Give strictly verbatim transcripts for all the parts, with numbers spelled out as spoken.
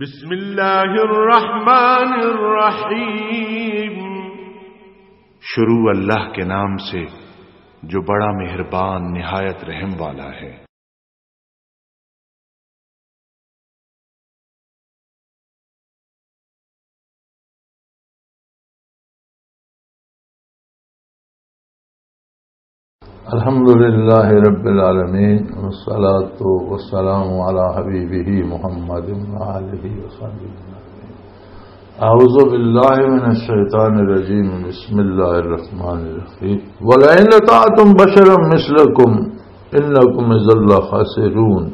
بسم اللہ الرحمن الرحیم۔ شروع اللہ کے نام سے جو بڑا مہربان نہایت رحم والا ہے۔ الحمد لله رب العالمين، والصلاة والسلام على حبيبه محمد وآله وصحبه أجمعين. أعوذ بالله من الشيطان الرجيم. بسم الله الرحمن الرحيم. ولئن أطعتم بشرا مثلكم إنكم إذا لخاسرون.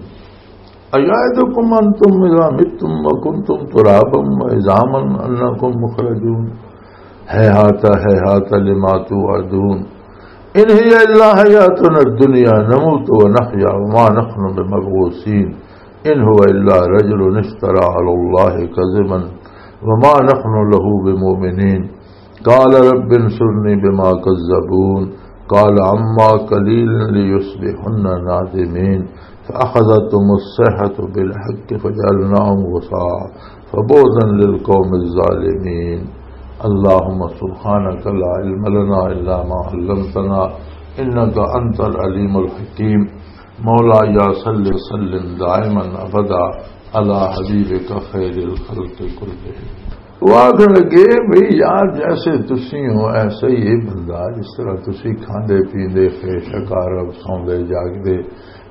أيعدكم أنتم إذا متم وكنتم ترابا وعظاما أنكم مخرجون. هيهات هيهات لما توعدون. إن هي إلا حياتنا الدنيا نموت ونحيا وما نحن بمبعوثين. إن هو إلا رجل افترى على الله كذبا وما نحن له بمؤمنين. قال رب انصرني بما كذبون. قال عما قليل ليصبحن نادمين. فأخذتهم الصيحة بالحق فجعلناهم غثاء فبعدا للقوم الظالمين. اللهم سبحانك لا علم لنا إلا ما علمتنا إنك أنت العليم الحكيم. مولاي صل وسلم دائما أبدا على حبيبك خير الخلق كلهم. وہ آخر لگے، بھئی یار، جیسے تسی ہو ایسا ہی یہ بندہ، جس طرح تسی کھاندے پیندے، خیش عقارب، سوندے جاگدے،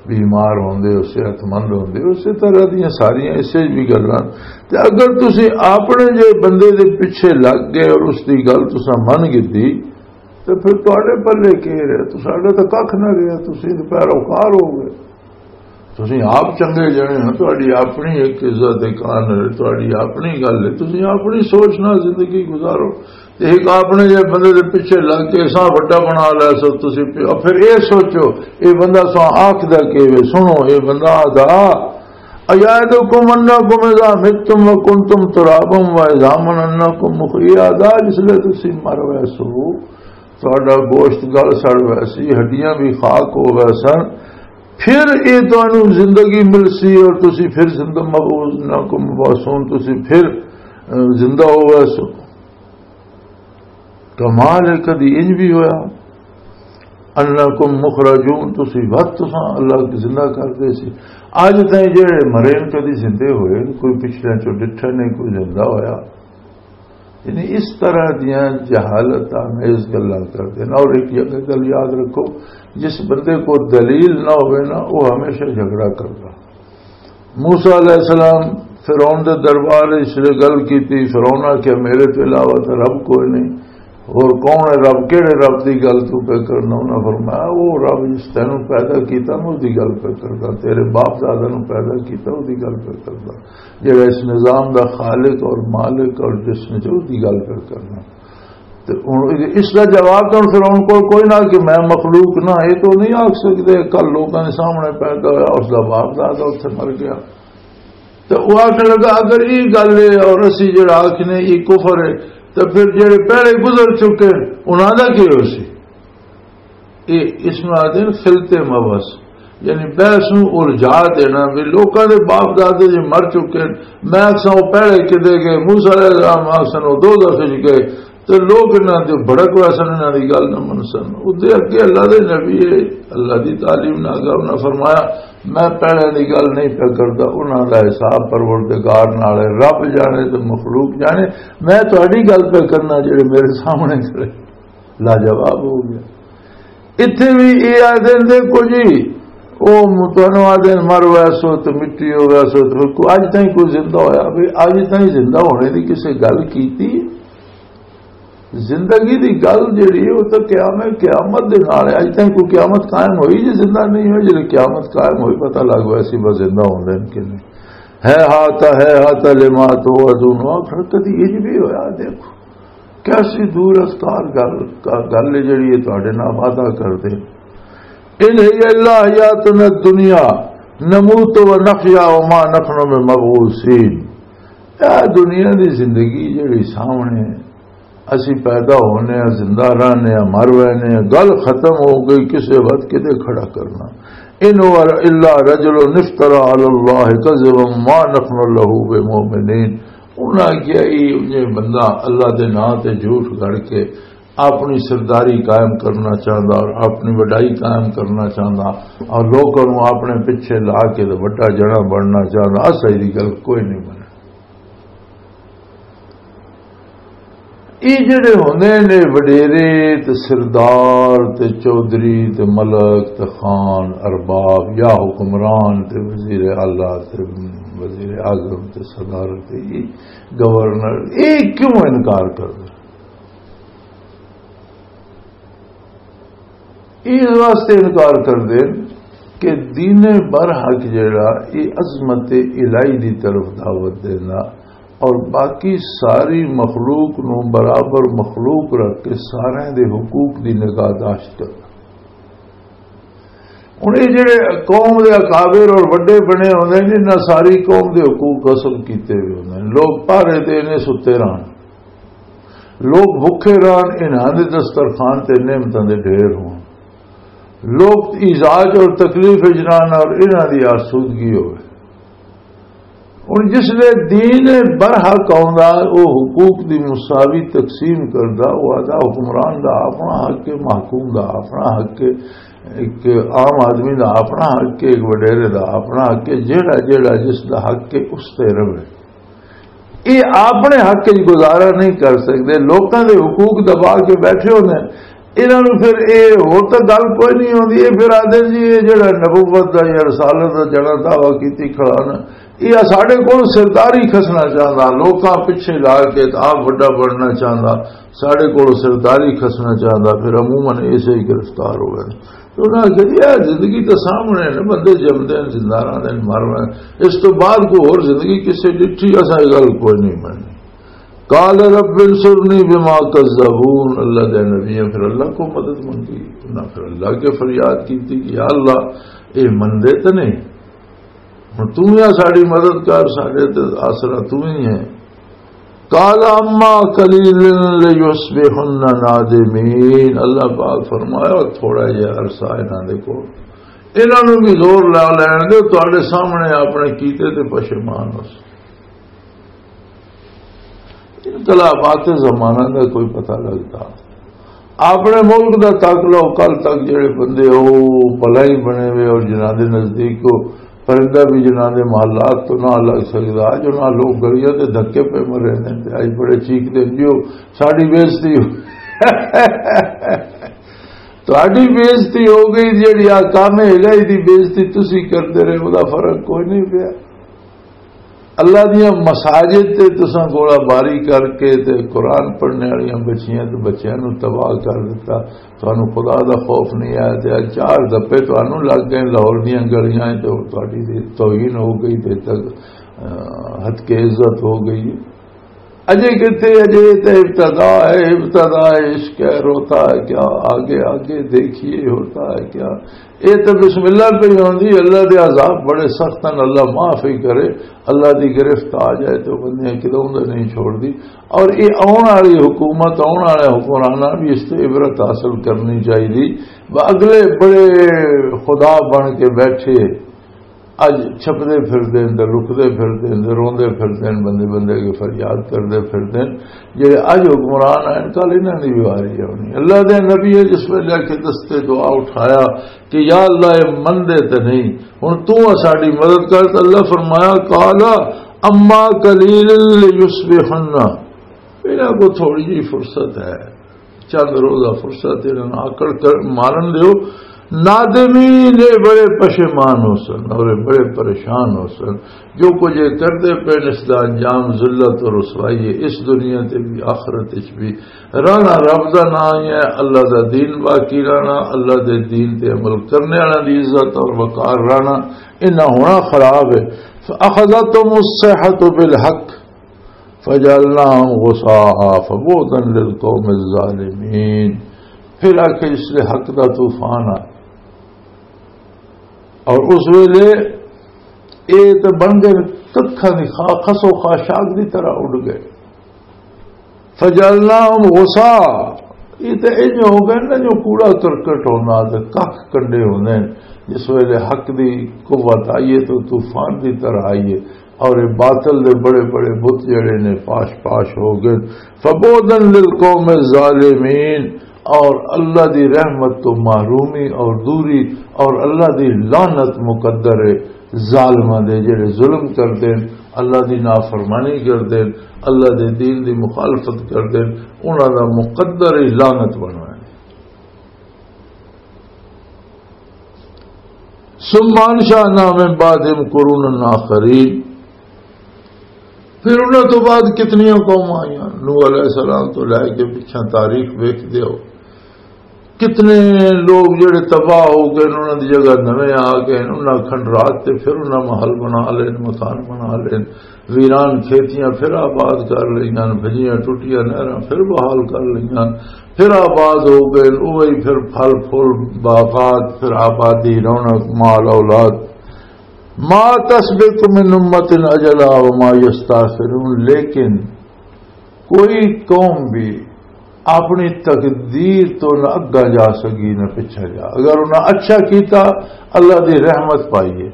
بیمار ہوندے ہو، صحت مند ہوندے ہو، اسی طرح دیاں ساریاں اسے بھی گلاں۔ تے اگر تسی اپنے جے بندے دے پیچھے لگ گئے اور اس دی گل تساں من گدی، تے پھر تہاڈے پلے کی رہے؟ تو ساڈا تاں ککھ نہ رہیا، تسی تے پیروکار ہو گئے۔ تسی آپ چنگے جنے ہو، تہاڈی اپنی ایک عزت، ایک آنر ہے، تہاڈی اپنی گل ہے، تسی اپنی سوچ نال زندگی گزارو۔ تے ایک اپنے جے بندے دے پیچھے لگ کے سا وڈا بنا لے سو تسی پیا۔ پھر اے سوچو، اے بندہ سا آکھدا کی وے؟ سنو، اے بندہ آدا، "ایعدکم انکم اذا متم وکنتم ترابا وعظاما انکم مخ-"، اے آدا، جس لے تسی مر ویسو، تہاڈا گوشت گل سڑ ویسی، ہڈیاں بھی خاک ہو ویسن، پھر اے تانوں زندگی ملسی اور تسی پھر زندہ مبعوث، انکم مبعوثون، تسی پھر، اے، زندہ ہو ویسو۔ کمال ہے، کدی انج بھی ہویا؟ انکم مخرجون، تسی وقت تساں اللہ زندہ کر دے سی۔ اج تائیں جڑے مرے نے کدی زندے ہوئے، کوئی پچھلے چوں ڈٹھا نہیں، کوئی زندہ ہویا۔ یعنی اس طرح دیاں جہالت آمیز گلاں کردے نے۔ اور ایک یہ گل یاد رکھو، جس بندے کو دلیل نہ ہوئے نا، وہ ہمیشہ جھگڑا کردا۔ موسیٰ علیہ السلام فرعون دے دربار وچ گل کیتی، فرعون آکھیا، "میرے تو علاوہ تے رب کوئی نہیں، اور کون ہے رب؟ کیڑے رب دی گل تو پہ کرنا؟" انہاں فرمایا، "وہ رب جس تینوں پیدا کیتا، میں اس دی گل پہ کردا، تیرے باپ دادا نوں پیدا کیتا، اس دی گل پہ کردا، جڑا اس نظام دا خالق اور مالک اور جس نے جو اس دی گل پہ کرنا۔" تے ہن اس دا جواب تاں فرعون کول کوئی نہ کہ میں مخلوق نہ، یہ تو نہیں آکھ سکدے، کل لوکاں دے سامنے پیدا ہویا، اس دا باپ دادا اتھے مر گیا۔ تے وہ آکھن لگا، اگر یہ گل ہے اور اسی جڑا آکھنے یہ کفر ہے، تے پھر جڑے پہلے گزر چکے انہاں دا کی ہو سی؟ یہ اس میں آدھے نے خلط مبس، یعنی بحث نو الجھا دینا، بھی لوکاں دے باپ دادے جے مر چکے ہیں، میں آکھساں وہ پہلے کدے گئے، موسیٰ علیہ السلام آکھسن وہ دوزخ وچ گئے، تے لوگ انہاں دے بھڑک ویسن، انہاں دی گل نہ منسن۔ اودے اگے اللہ دے نبی ہے، اللہ دی تعلیم نہ اگر انہاں فرمایا، "میں پہلے دی گل نہیں پیا کردا، انہاں دا حساب پروردگار نال ہے، رب جانے تے مخلوق جانے، میں تہاڈی گل پیا کرنا جڑے میرے سامنے کھڑے۔" لاجواب ہو گیا۔ اتھے بھی یہ آدھے نے، "دیکھو جی، وہ تانوں آدھے نے مر ویسو تے مٹی ہو ویسو، تے کوئی اج تائیں کوئی زندہ ہویا؟ بھی اج تائیں زندہ ہونے دی کسے گل کیتی؟ زندگی دی گل جڑی ہے، وہ تو قیام، قیامت دے نال ہے۔ اج تائیں کوئی قیامت قائم ہوئی جی زندہ نہیں ہوئی؟ جی قیامت قائم ہوئی، پتہ لگ ویسی بس زندہ ہوندے نے کہ نہیں۔ ہے ہاتھ، ہے ہاتھ لما توعدون۔" آخر کدی یہ بھی ہویا؟ دیکھو، کیسی دور اسکار گل، گل ہے جڑی یہ تہاڈے نال وعدہ کر دے۔ ان هي الا حياتنا الدنيا نموت ونحيا وما نحن بمبعوثين۔ اے دنیا دی زندگی جڑی سامنے ہے، اسی پیدا ہونے ہیں، زندہ رہنے ہیں، مر وینے ہیں، گل ختم ہو گئی، کسے وقت کدے کھڑا کرنا۔ ان هو الا رجل افترى على الله كذبا ما نحن له بمؤمنين۔ انہاں کیا یہ بندہ اللہ دے نام تے جھوٹ گھڑ کے اپنی سرداری قائم کرنا چاہندا اور اپنی وڈائی قائم کرنا چاہندا اور لوکاں نوں اپنے پیچھے لا کے تے وڈا جنا بننا چاہندا، اساں دی گل کوئی نہیں بنے۔ یہ جڑے ہوندے نے وڈیرے تے سردار تے چودھری تے ملک تے خان ارباب یا حکمران تے وزیر اعلیٰ تے وزیر اعظم تے صدر تے یہ گورنر، یہ کیوں انکار کردے؟ اس واسطے انکار کردے کہ دین برحق جڑا یہ عظمت الہی دی طرف دعوت دینا اور باقی ساری مخلوق نو برابر مخلوق رکھ کے سارے دے حقوق دی نگاہداشت کرنا۔ ہن یہ جڑے قوم دے اکابر اور وڈے بنے ہوندے نے، انہاں ساری قوم دے حقوق غصب کیتے ہوئے ہوندے نے۔ لوگ پہرے تے نے ستے رہن، لوگ بھکھے رہن، انہاں دے دسترخوان تے نعمتاں دے ڈھیر ہون۔ لوگ ایزاج اور تکلیف وچ رہن اور انہاں دی آسودگی ہوئے۔ ہن جس لے دین برحق آوندا، او حقوق دی مساوی تقسیم کردا، او آدھا حکمران دا اپنا حق ہے، محکوم دا اپنا حق ہے، ایک عام آدمی دا اپنا حق ہے، ایک وڈیرے دا اپنا حق ہے، جیڑا جیڑا جس دا حق ہے اس تے رہے۔ یہ اپنے حق وچ گزارا نہیں کر سکتے، لوکاں دے حقوق دبا کے بیٹھے ہوندے ہیں۔ انہاں نوں پھر اے ہور تاں گل کوئی نہیں ہوندی، اے پھر آدھے جی اے جڑا نبوت دا یا رسالت دا جڑا دعویٰ کیتی کھڑا نا، اے ساڈے کول سرداری کھسنا چاہندا، لوکاں پچھے لا کے تے آپ وڈا بننا چاہندا، ساڈے کول سرداری کھسنا چاہندا، پھر عموماً ایسے ہی گرفتار ہو گئے۔ تو انہاں آکھیا جی اے زندگی تے سامنے نے، بندے جمدے ہیں، زندہ رہندے ہیں، مر رہے ہیں، اس تو بعد کوئی ہور زندگی کسے ڈٹھی؟ اساں اے گل کوئی نہیں مننی۔ قال رب انصرنی بما کذبون، اللہ دے نبی ہیں، پھر اللہ کو مدد منگی، انہاں پھر اللہ کے فریاد کی تھی کہ یا اللہ، اے مندے تے نہیں، ہن تو ہی ساڈی مدد کر، ساڈے تے آسرا تو ہی ہے۔ قال اما قلیل لیصبحن نادمین، اللہ پاک فرمایا تھوڑا جہا عرصہ انہاں دے کول، انہاں نوں بھی زور لا لین دے، تہاڈے سامنے اپنے کیتے تے پشیمان ہو۔ انقلابات زمانہ دا کوئی پتہ لگدا؟ اپنے ملک دا تک لو، کل تک جڑے بندے او بلائی بنے ہوئے اور جنہاں دے نزدیک کو پرندہ بھی جنہاں دے محلات تو نہ لگ سکدا، جو نہ لوگ گلیاں تے دھکے پہ مرے نے تے اج بڑے چیخ دے جی او ساڈی بےعزتی ہو۔ تہاڈی بےعزتی ہو گئی، جڑی آ کام الہی دی بےعزتی تسی کردے رہے، او دا فرق کوئی نہیں پیا۔ اللہ دیاں مساجد تے تساں گولا باری کر کے تے قرآن پڑھنے والیاں بچیاں تے بچیاں نو تباہ کر دتا۔ تانوں خدا دا خوف نہیں آیا تے اج چار دپے تانوں لگ گئے لاہور دیاں گلیاں تے تہاڈی دی توہین ہو گئی تے تک، آ، حد کے عزت ہو گئی۔ اجے کتے، اجے تے ابتدا ہے، ابتدا ہے، عشق ہے، روتا ہے کیا؟ آگے آگے دیکھیے ہوتا ہے کیا۔ اے تے بسم اللہ پہ ہی ہوندی، اللہ دے عذاب بڑے سخت ہیں، اللہ معاف ہی کرے، اللہ دی گرفت آ جائے تو بندیاں کدوں دے نہیں چھوڑ دی۔ اور اے آن والی حکومت، آن والے حکمراناں بھی اس تے عبرت حاصل کرنی چاہیے۔ اگلے بڑے خدا بن کے بیٹھے، اج چھپدے پھردے نے، لکدے پھردے نے، روندے پھردے نے، بندے بندے کے فریاد کردے پھردے نے۔ جڑے اج حکمران آئے نے، کل انہاں دی بھی واری آنی۔ اللہ دے نبی ہے جس ویلے آ کے دستے دعا اٹھایا کہ یا اللہ، اے مندے تے نہیں، ہن تو ساڈی مدد کر، تے اللہ فرمایا، قال اما قلیل لیصبحن، انہاں کو تھوڑی جی فرصت ہے، چند روزہ فرصت انہاں نوں آکڑ کر مارن دیو۔ نادمین، اے بڑے پشیمان ہو سن اور اے بڑے پریشان ہو سن۔ جو کچھ اے کردے پے نے، اس دا انجام ذلت اور رسوائی ہے، اس دنیا تے بھی، آخرت وچ بھی۔ رانا رب دا نام ہی ہے، اللہ دا دین باقی رانا، اللہ دے دین تے عمل کرنے والا دی عزت اور وقار رانا، انہاں ہونا خراب ہے۔ فَأَخَذَتْهُمُ الصَّيْحَةُ بِالْحَقِّ فجعلناهم غثاء فبعدا للقوم الظالمين۔ پھر آ کے اس لیے حق دا طوفان آیا اور اس ویلے اے تے بن گئے ککھاں دی خا-، خس و خاشاک دی طرح اڈ گئے۔ فجعلناهم غثاء، یہ تے انج ہو گئے نا، جو کوڑا کرکٹ ہونا تے ککھ کنڈے ہوندے نے۔ جس ویلے حق دی قوت آئیے تو طوفان دی طرح آئیے، اور یہ باطل دے بڑے بڑے بت جڑے نے، پاش پاش ہو گئے۔ فبعدا للقوم الظالمین، اور اللہ دی رحمت تو محرومی اور دوری، اور اللہ دی لعنت مقدر ہے ظالماں دے، جڑے ظلم کردے نے، اللہ دی نافرمانی کردے نے، اللہ دے دین دی مخالفت کردے نے، انہاں دا مقدر ہی لعنت بننا ہے۔ ثم انشأنا من بعدهم قرونا آخرین، پھر انہاں تو بعد کتنیاں قوماں آئیاں، نوح علیہ السلام تو لے کے پچھاں تاریخ ویکھ دیو، کتنے لوگ جڑے تباہ ہو گئے، انہاں دی جگہ نویں آ گئے، انہاں کھنڈرات تے پھر انہاں محل بنا لے، مکان بنا لے، ویران کھیتیاں پھر آباد کر لئیاں، بھجیاں ٹوٹیاں نہراں پھر بحال کر لئیاں، پھر آباد ہو گئے، اوہی پھر پھل پھول، باغات، پھر آبادی، رونق، مال اولاد۔ ما تسبق من امة اجلها وما يستأخرون، لیکن کوئی قوم بھی اپنی تقدیر تو نہ اگا جا سکی نہ پچھا جا۔ اگر انہاں اچھا کیتا، اللہ دی رحمت پائی ہے،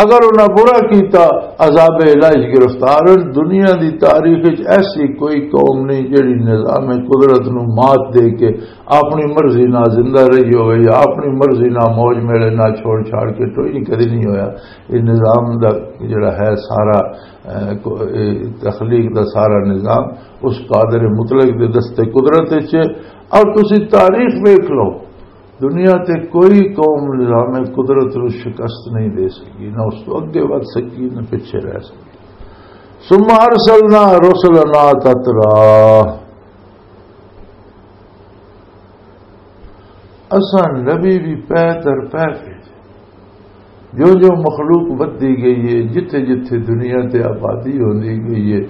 اگر انہاں برا کیتا، عذاب الہی گرفتار ہیں۔ دنیا دی تاریخ وچ ایسی کوئی قوم نہیں جڑی نظام قدرت نو مات دے کے اپنی مرضی نال زندہ رہی ہوئے یا اپنی مرضی نال موج میلے نال چھوڑ چھاڑ کے، کوئی نہیں، کدی نہیں ہویا۔ یہ نظام دا جڑا ہے سارا، اے، کو-، اے، تخلیق دا سارا نظام اس قادر مطلق دے دست قدرت وچ ہے۔ اور تسی تاریخ ویکھ لو، دنیا تے کوئی قوم نظام قدرت نو شکست نہیں دے سکی، نہ اس تو اگے ودھ سکی، نہ پیچھے رہ سکی۔ ثم ارسلنا رسلنا تترا، اساں نبی بھی پہ در پہ بھیجے۔ جو جو مخلوق ودی گئی ہے، جتھے جتھے دنیا تے آبادی ہوندی گئی ہے،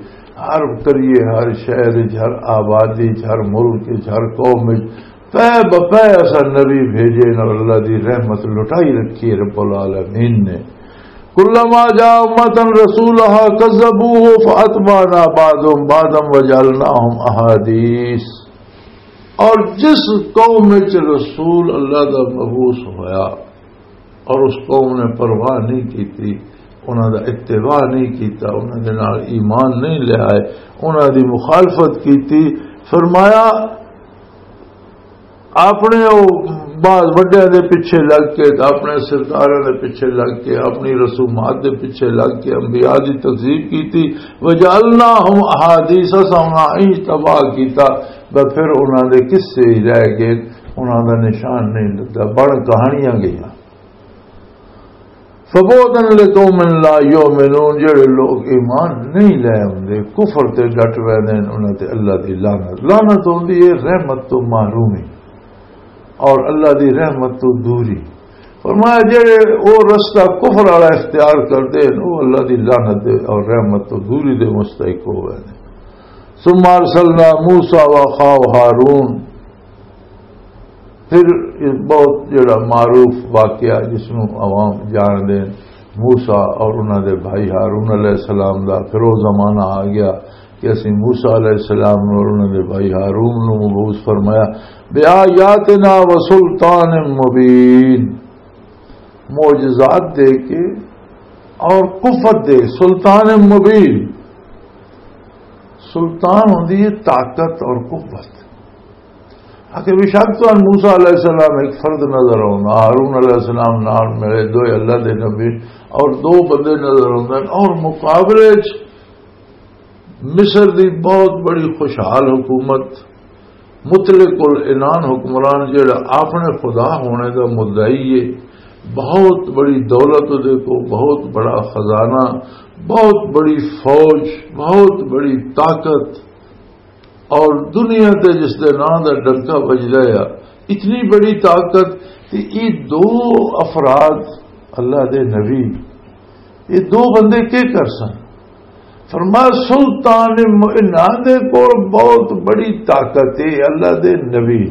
ہر قریے، ہر شہر وچ، ہر آبادی وچ، ہر ملک وچ، ہر قوم وچ پہ بپہ اساں نبی بھیجے نے، اور اللہ دی رحمت لٹائی رکھی ہے رب العالمین نے۔ کلما جاء امة رسولها كذبوه فاتبعنا بعضهم بعضا وجعلناهم احاديث۔ اور جس قوم وچ رسول اللہ دا مبعوث ہویا اور اس قوم نے پرواہ نہیں کیتی، انہاں دا اتباع نہیں کیتا، انہاں دے نال ایمان نہیں لے آئے، انہاں دی مخالفت کیتی، فرمایا، اپنے او بعض وڈیاں دے پیچھے لگ کے، اپنے سرداراں دے پیچھے لگ کے، اپنی رسومات دے پیچھے لگ کے انبیاء دی تکذیب کیتی۔ وجعلناہم احادیث، اساں انہاں انج تباہ کیتا، بس پھر انہاں دے قصے ہی رہ گئے، انہاں دا نشان نہیں لگا، بن کہانیاں گئیاں۔ فبعدا لقوم لا یؤمنون، جڑے لوگ ایمان نہیں لے ہوندے، کفر تے ڈٹ ویندے نے، انہاں تے اللہ دی لعنت۔ لعنت ہوندی ہے رحمت تو محرومی اور اللہ دی رحمت تو دوری۔ فرمایا، جڑے او رستہ کفر والا اختیار کردے نے، او اللہ دی لعنت دے اور رحمت تو دوری دے مستحق ہو ویندے۔ ثم ارسلنا موسیٰ واخاہ ہارون، پھر ایک بہت جڑا معروف واقعہ جس نوں عوام جان دے، موسیٰ اور انہاں دے بھائی ہارون علیہ السلام دا، پھر وہ زمانہ آ گیا کہ اسی موسیٰ علیہ السلام اور انہاں دے بھائی ہارون نوں مبعوث فرمایا، بآیاتنا وسلطان مبین، معجزات دے کے اور قوت دے، سلطان مبین۔ سلطان ہوندی ہے طاقت اور قوت۔ آخر بے شک تہانوں موسیٰ علیہ السلام ایک فرد نظر آؤں، ہارون علیہ السلام نال ملے، دوئے اللہ دے نبی اور دو بندے نظر آؤندے نے، اور مقابلے وچ مصر دی بہت بڑی خوشحال حکومت، مطلق العنان حکمران جڑا اپنے خدا ہونے دا مدعی ہے، بہت بڑی دولت دے کو، بہت بڑا خزانہ، بہت بڑی فوج، بہت بڑی طاقت، اور دنیا تے جس دے نام دا ڈنکا بجدا ہے، اتنی بڑی طاقت، تے یہ دو افراد، اللہ دے نبی، یہ دو بندے کی کر سن؟ فرمایا، سلطان م-، انہاں دے کول بہت بڑی طاقت ہے، اللہ دے نبی،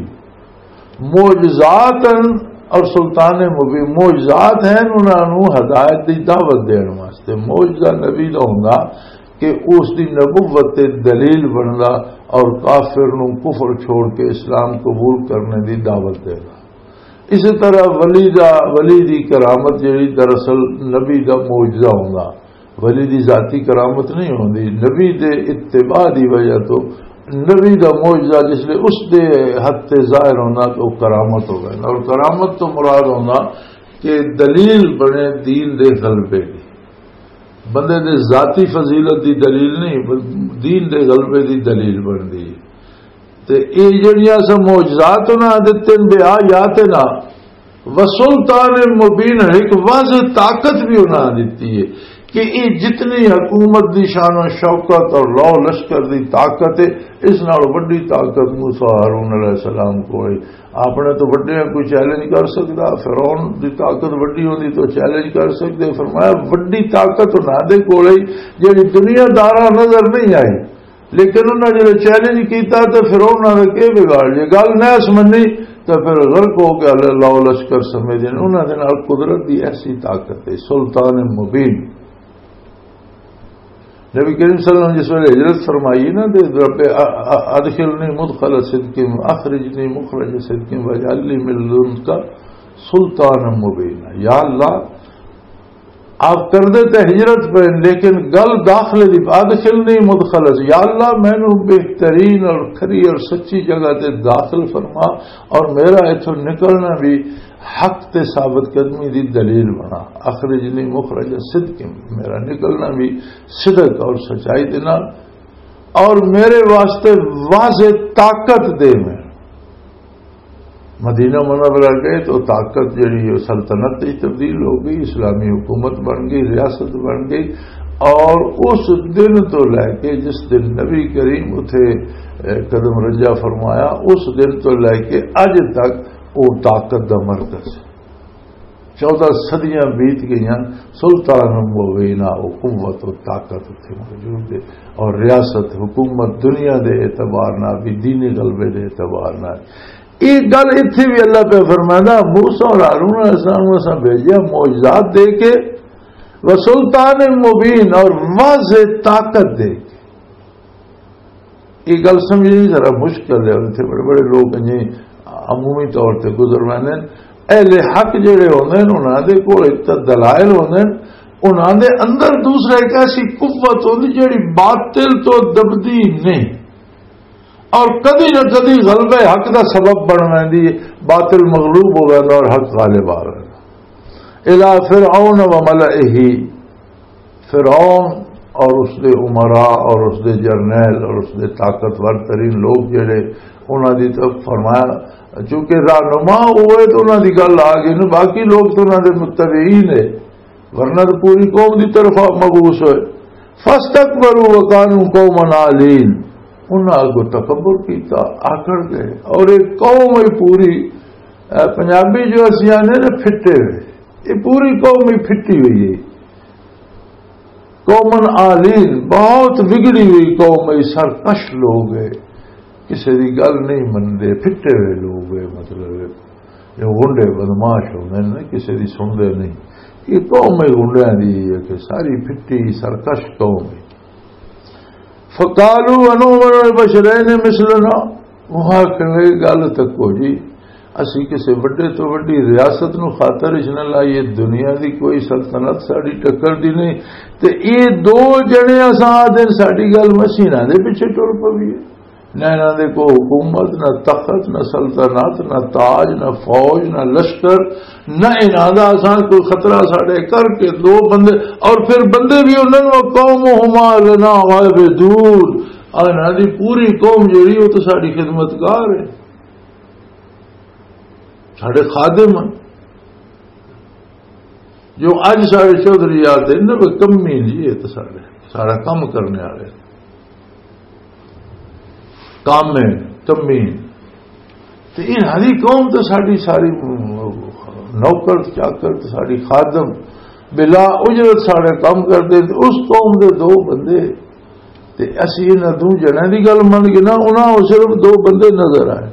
معجزات ہیں اور سلطان مبین، معجزات ہیں انہاں نوں ہدایت دی دعوت دین واسطے۔ معجزہ نبی دا ہوندا کہ اس دی نبوت تے دلیل بندا، اور کافر نوں کفر چھوڑ کے اسلام قبول کرنے دی دعوت دے گا۔ اسی طرح ولی دا، ولی دی کرامت جڑی دراصل نبی دا معجزہ ہوندا، ولی دی ذاتی کرامت نہیں ہوندی، نبی دے اتباع دی وجہ تو نبی دا معجزہ جس لئے اس دے حد تے ظاہر ہونا تو کرامت ہو گئے۔ اور کرامت تو مراد ہونا کہ دلیل بنے دین دے غلبے دی، بندے دے ذاتی فضیلت دی دلیل نہیں، بل دین دے غلبے دی دلیل بندی۔ تے اے جڑیاں اساں معجزات انہاں دتے نے، بے آ یا تے نہ، وسلطان مبین، ایک واضح طاقت بھی انہاں دتی ہے کہ اے جتنی حکومت دی شان و شوکت اور لو لشکر دی طاقت ہے، اس نال وڈی طاقت موسیٰ ہارون علیہ السلام کو ہے۔ آپ نے تو وڈے کوئی چیلنج کر سکدا، فرعون دی طاقت وڈی ہوندی تو چیلنج کر سکدے۔ فرمایا وڈی طاقت انہاں دے کول ہے جڑی دنیا داراں نظر نہیں آئی، لیکن انہاں جدوں چیلنج کیتا تے فرعون نے کیا بگاڑ لیا، گل نہ سمجھی تے پھر غرق ہو کے اللہ لشکر سمیت انہاں دے نال قدرت دی ایسی طاقت ہے، سلطان مبین۔ نبی کریم صلی اللہ علیہ وسلم جس ویلے ہجرت فرمائی نا، تے رب ا-، ا-، ادخلنی مدخل صدق، اخرجنی مخرج صدق، واجعل لی من لدنک سلطان مبین۔ یا اللہ، آپ کردے تے ہجرت پہ، لیکن گل داخلے دی، ادخلنی مدخل صدق، یا اللہ، مینوں بہترین اور کھری اور سچی جگہ تے داخل فرما، اور میرا اتھوں نکلنا بھی حق تے ثابت قدمی دی دلیل بنا۔ اخرجنی مخرج صدق، میرا نکلنا بھی صدق اور سچائی دے نال، اور میرے واسطے واضح طاقت دے۔ میں مدینہ منورہ گئے تو طاقت جڑی ہے سلطنت وچ تبدیل ہو گئی، اسلامی حکومت بن گئی، ریاست بن گئی۔ اور اس دن تو لے کے جس دن نبی کریم اتھے، اے، قدم رنجا فرمایا، اس دن تو لے کے اج تک وہ طاقت دا مرکز ہے۔ چودہ صدیاں بیت گئیاں، سلطان مبینہ، وہ قوت و طاقت اتھے موجود ہے۔ اور ریاست، حکومت دنیا دے اعتبار نال بھی، دینی غلبے دے اعتبار نال۔ یہ گل اتھے بھی اللہ پہ فرمائندا، موسیٰ اور ہارون علیہ السلام کو اساں بھیجیا معجزات دے کے، و سلطان مبین، اور واضح طاقت دے کے۔ یہ گل سمجھنی ذرا مشکل ہے، اتنے بڑے بڑے لوگ ہیں جی، عمومی طور تے گزر ویندے نے۔ اہل حق جڑے ہوندے نے، انہاں دے کول اتنے دلائل ہوندے نے، انہاں دے اندر دوسرا ایک ایسی قوت ہوندی جڑی باطل تو دبدی نہیں، اور کدی نہ کدی غلبہ حق دا سبب بن ویندی ہے، باطل مغلوب ہو ویندا اور حق غالب آ ویندا۔ الا فرعون و ملئہ، فرعون اور اس دے امراء اور اس دے جرنیل اور اس دے طاقتور ترین لوگ جڑے، انہاں دی طرف فرمایا، چونکہ رہنما ہوئے تو انہاں دی گل آ گئی نا، باقی لوگ تو انہاں دے متبعین ہے، ورنہ تو پوری قوم دی طرف مبعوث ہوئے۔ فاستکبروا وکانوا قوما عالین، انہاں اگوں تکبر کیتا، آکڑ گئے، اور ایک قوم ہی پوری، اے، پنجابی جو اسی آنے نا پھٹے ہوئے، یہ پوری قوم ہی پھٹی ہوئی ہے۔ قومن عالین، بہت وگڑی ہوئی قوم ہے، سرکش لوگ ہے، کسی دی گل نہیں مندے، پھٹے ہوئے لوگ ہے، مطلب ہے، جو غنڈے بدماش ہوندے نے، کسی دی سنتے نہیں۔ یہ قوم ہے غنڈیاں دی ہے کہ ساری پھٹی سرکش قوم ہے۔ فقالوا انؤمن لبشرین مثلنا، وہ آکھن لگے، گل تکو جی، اسی کسے وڈے تو وڈی ریاست نو خاطر اچ نہ لائیے، دنیا دی کوئی سلطنت ساڈی ٹکر دی نہیں۔ تے اے دو جنے اساں آدھے ساڈی گل مسینا دے پیچھے ٹر پویے۔ نہ انہاں دے کو حکومت، نہ تخت، نہ سلطنت، نہ تاج، نہ فوج، نہ لشکر، نہ انہاں دا اساں کوئی خطرہ ساڈے کر کے دو بندے، اور پھر بندے بھی انہاں نوں قومہما لنا عابدون، اور انہاں دی پوری قوم جڑی وہ تو ساڈی خدمتگار ہے، ساڈے خادم ہیں۔ جو اج ساڈے چوہدری یاد ہے نا، وہ کمی نہیں، یہ تو ساڈے سارا کم کرنے والے کم ہے، کمی۔ تے انہاں دی قوم تے ساڈی ساری نوکر چاکر تے ساڈی خادم بلا اجرت ساڈے کم کردے، تے اس قوم دے دو بندے، تے اسی انہاں دو جنہاں دی گل من گئے نا، انہاں او صرف دو بندے نظر آئے۔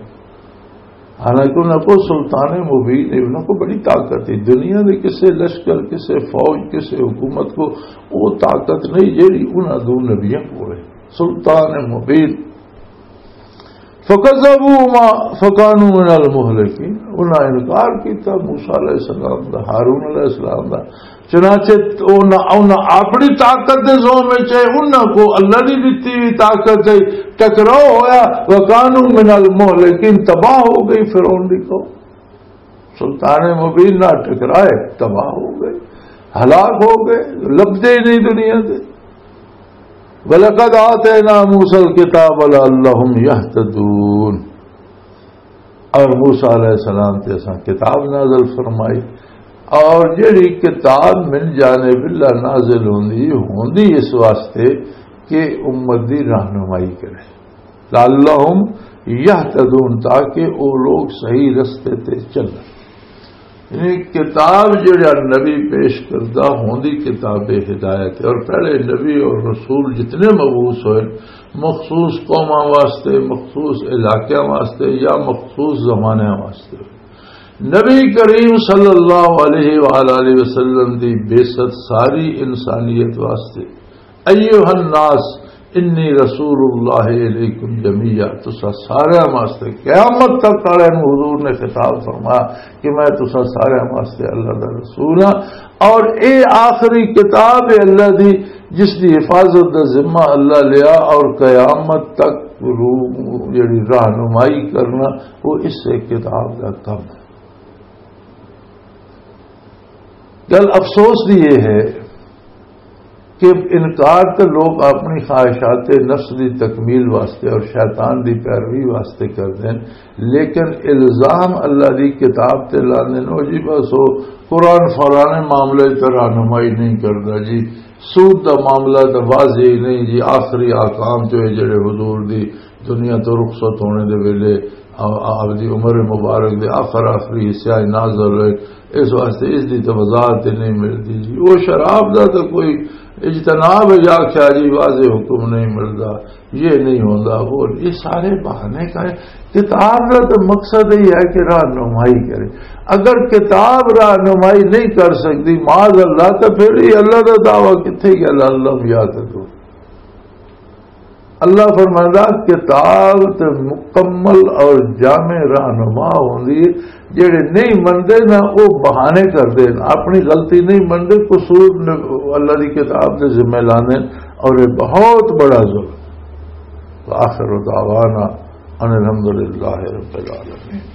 حالانکہ انہاں کو سلطان مبین ہے، انہاں کو بڑی طاقت ہے۔ دنیا دے کسے لشکر، کسے فوج، کسے حکومت کو وہ طاقت نہیں جیڑی انہاں دو نبیاں کو ہے۔ سلطان مبین۔ فکذبوا ما فکانوا من المہلکین، انہاں انکار کیتا موسیٰ علیہ السلام دا، ہارون علیہ السلام دا۔ چنانچہ انہاں، انہاں اپنی طاقت دے زور وچ ہے، انہاں کو اللہ دی دتی ہوئی طاقت ہے، ٹکراؤ ہویا، وکانوا من المہلکین، تباہ ہو گئی فرعون دی قوم۔ سلطان مبین نہ ٹکرائے، تباہ ہو گئے، ہلاک ہو گئے، لبدے ہی نہیں دنیا دے۔ وَلَقَدْ آتَيْنَا مُوسَى الْكِتَابَ لَعَلَّهُمْ يَهْتَدُونَ۔ اور موسیٰ علیہ السلام تے اساں کتاب نازل فرمائی، اور جڑی کتاب من جانب اللہ نازل ہوندی، ہوندی اس واسطے کہ امت دی رہنمائی کرے۔ لعلہم یہتدون، تاکہ او لوگ صحیح رستے تے چلن۔ یعنی کتاب جڑا نبی پیش کردہ ہوندی کتاب ہدایت ہے، اور پہلے نبی اور رسول جتنے مبعوث ہوئے، مخصوص قوماں واسطے، مخصوص علاقیاں واسطے یا مخصوص زمانے واسطے، نبی کریم صلی اللہ علیہ وآلہ وسلم دی بعثت ساری انسانیت واسطے۔ ایھا الناس انی رسول اللہ الیکم جمیعا، تسا سارے واسطے، قیامت تک والے نوں حضور نے خطاب فرمایا کہ میں تسا سارے واسطے اللہ دا رسول ہاں، اور اے آخری کتاب ہے اللہ دی، جس دی حفاظت دا ذمہ اللہ لیا، اور قیامت تک روح جڑی رہنمائی کرنا، وہ اس سے کتاب دا کم ہے۔ گل افسوس دی یہ ہے کہ انکار تے لوگ اپنی خواہشات نفس دی تکمیل واسطے اور شیطان دی پیروی واسطے کردے ہیں، لیکن الزام اللہ دی کتاب تے لاندے نے، "او جی، بس او قرآن فلانے معاملے تے رہنمائی نہیں کردا جی، سود دا معاملہ تے واضح ہی نہیں جی، آخری آکام تے جڑے حضور دی دنیا تو رخصت ہونے دے ویلے آ-، آپ دی عمر مبارک دے آخر آخری حصہ نازل ہوئے، اس واسطے اس دی تو وضاحت ہی نہیں ملدی جی۔ وہ شراب دا تو کوئی اجتناب ہے یا کیا جی، واضح حکم نہیں ملدا، یہ نہیں ہوندا، وہ یہ سارے بہانے کا ہے۔" کتاب دا تو مقصد ہی ہے کہ رہنمائی کرے۔ اگر کتاب رہنمائی نہیں کر سکتی، معاذ اللہ، تو پھر یہ اللہ دا دعویٰ کتھے گیا؟ لعلہم یہتدون۔ اللہ فرمائندا، کتاب تے مکمل اور جامع رہنما ہوندی ہے۔ جڑے نہیں مندے نا، وہ بہانے کردے نا، اپنی غلطی نہیں مندے، قصور نے اللہ دی کتاب تے ذمہ لاندے، اور یہ بہت بڑا ظلم۔ وآخر دعوانا ان الحمدللہ رب العالمین۔